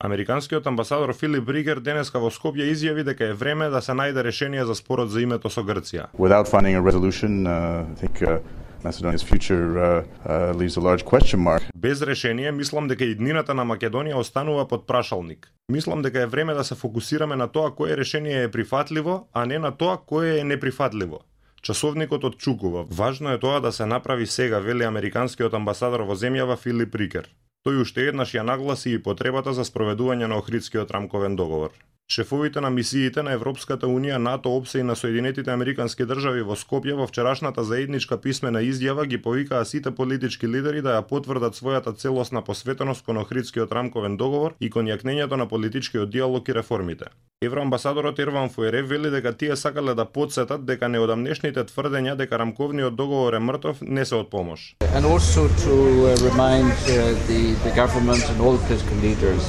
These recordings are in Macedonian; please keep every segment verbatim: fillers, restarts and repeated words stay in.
Американскиот амбасадор Филип Ригер денеска во Скопје изјави дека е време да се најде решение за спорот за името со Грција. Without finding a resolution, uh, I think uh, Macedonia's future uh, uh, leaves a large question mark. Без решение, мислам дека иднината на Македонија останува под прашалник. Мислам дека е време да се фокусираме на тоа кое решение е прифатливо, а не на тоа кое е неприфатливо. Часовникот отчукува. Важно е тоа да се направи сега, вели американскиот амбасадор во земјава Филип Ригер. Тој уште еднаш ја нагласи и потребата за спроведување на Охридскиот рамковен договор. Шефовите на мисиите на Европската Унија, НАТО, ОПСЕ и на Соединетите Американски држави во Скопје во вчерашната заедничка писмена изјава ги повикаа сите политички лидери да ја потврдат својата целосна посветеност кон Охридскиот рамковен договор и кон јакнењето на политичкиот диалог и реформите. Евроамбасадорот Ерван Фуере вели дека тие сакале да потсетат дека неодамнешните тврдења дека рамковниот договор е мртов не се од помош. And also to uh, remind uh, the, the government and all political leaders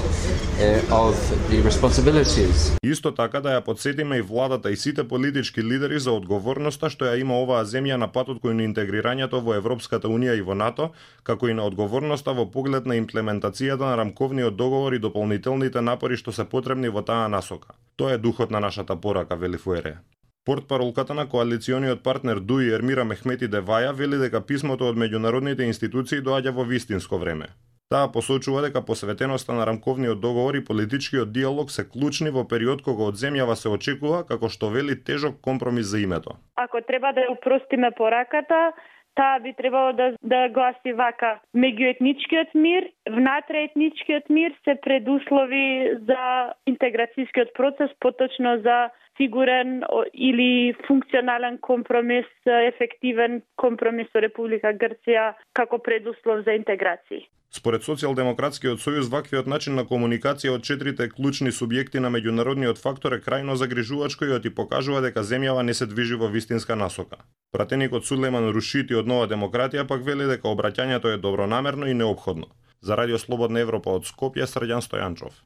uh, of the responsibilities. Исто така да ја подсетиме и владата и сите политички лидери за одговорноста што ја има оваа земја на патот кон интегрирањето во Европската Унија и во НАТО, како и на одговорноста во поглед на имплементацијата на рамковниот договор и дополнителните напори што се потребни во таа насока. Тоа е духот на нашата порака, вели Фуере. Портпаролката на коалициониот партнер ДУИ Ермира Мехмети Деваја вели дека писмото од меѓународните институции доаѓа во вистинско време. Таа посочува дека посветеноста на рамковниот договор и политичкиот диалог се клучни во период кога од земјава се очекува, како што вели, тежок компромис за името. Ако треба да упростиме пораката, таа би требало да, да гласи вака: меѓуетничкиот мир, внатреетничкиот мир се предуслови за интеграцијскиот процес, поточно за сигурен или функционален компромис, ефективен компромис со Република Грција како предуслов за интеграција. Според Социјалдемократскиот сојуз, ваквиот начин на комуникација од четирите клучни субјекти на меѓународниот фактор е крајно загрижувачко и оти покажува дека земјава не се движи во вистинска насока. Пратеникот Сулейман Рушити од Нова демократија пак вели дека обраќањето е добронамерно и неопходно. За Радио Слободна Европа од Скопје, Срđan Стојанчов.